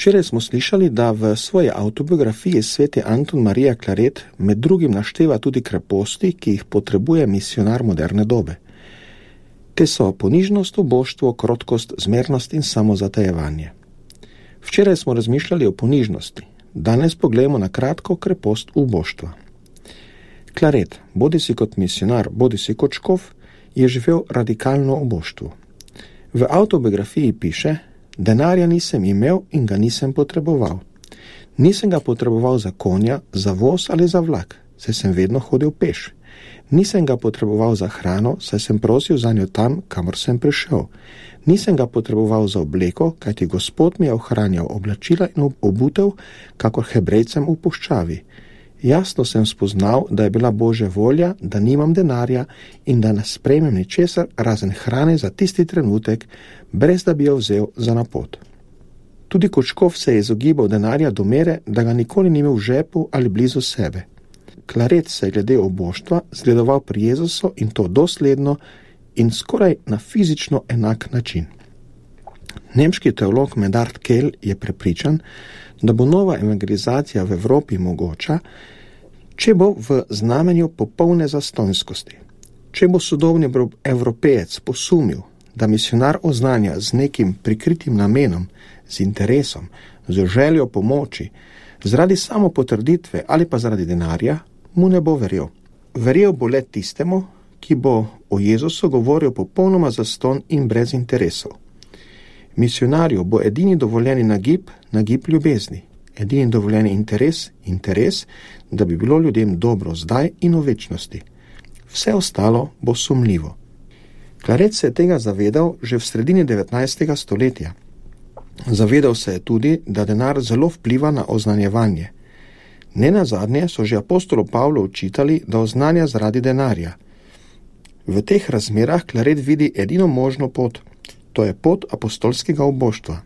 Včeraj smo slišali, da v svoji avtobiografiji sveti Anton Marija Claret med drugim našteva tudi kreposti, ki jih potrebuje misionar moderne dobe. Te so ponižnost, uboštvo, krotkost, zmernost in samozatajevanje. Včeraj smo razmišljali o ponižnosti, danes pogledamo na kratko krepost uboštva. Claret, bodisi kot misionar, bodisi kot škof, je živel radikalno uboštvo. V avtobiografiji piše: denarja nisem imel in ga nisem potreboval. Nisem ga potreboval za konja, za voz ali za vlak, saj sem vedno hodil peš. Nisem ga potreboval za hrano, saj sem prosil za njo tam, kamor sem prišel. Nisem ga potreboval za obleko, kajti Gospod mi je ohranjal oblačila in obutev, kakor Hebrejcem v puščavi. Jasno sem spoznal, da je bila Božja volja, da nimam denarja in da ne sprejmem ničesar razen hrane za tisti trenutek, brez da bi jo vzel za na pot. Tudi kot škof se je izogibal denarja do mere, da ga nikoli ni imel v žepu ali blizu sebe. Claret se je glede oboštva zgledoval pri Jezusu in to dosledno in skoraj na fizično enak način. Nemški teolog Medard Kehl je prepričan, da bo nova evangelizacija v Evropi mogoča, če bo v znamenju popolne zastonjskosti. Če bo sodobni Evropejec posumil, da misionar oznanja z nekim prikritim namenom, z interesom, z željo pomoči, zaradi samopotrditve ali pa zaradi denarja, mu ne bo verjel. Verjel bo le tistemu, ki bo o Jezusu govoril popolnoma zastonj in brez interesov. Misionarju bo edini dovoljeni nagib ljubezni, edini dovoljeni interes, da bi bilo ljudem dobro zdaj in v večnosti. Vse ostalo bo sumljivo. Claret se je tega zavedal že v sredini 19. stoletja. Zavedal se je tudi, da denar zelo vpliva na oznanjevanje. Nenazadnje so že apostolu Pavlu učitali, da oznanja zaradi denarja. V teh razmerah Claret vidi edino možno pot, to je pot apostolskega uboštva.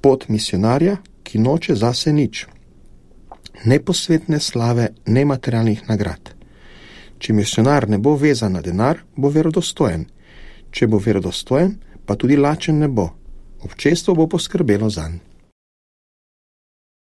Pot misionarja, ki noče zase nič. Ne posvetne slave, ne materialnih nagrad. Če misionar ne bo vezan na denar, bo verodostojen. Če bo verodostojen, pa tudi lačen ne bo. Občestvo bo poskrbelo zanj.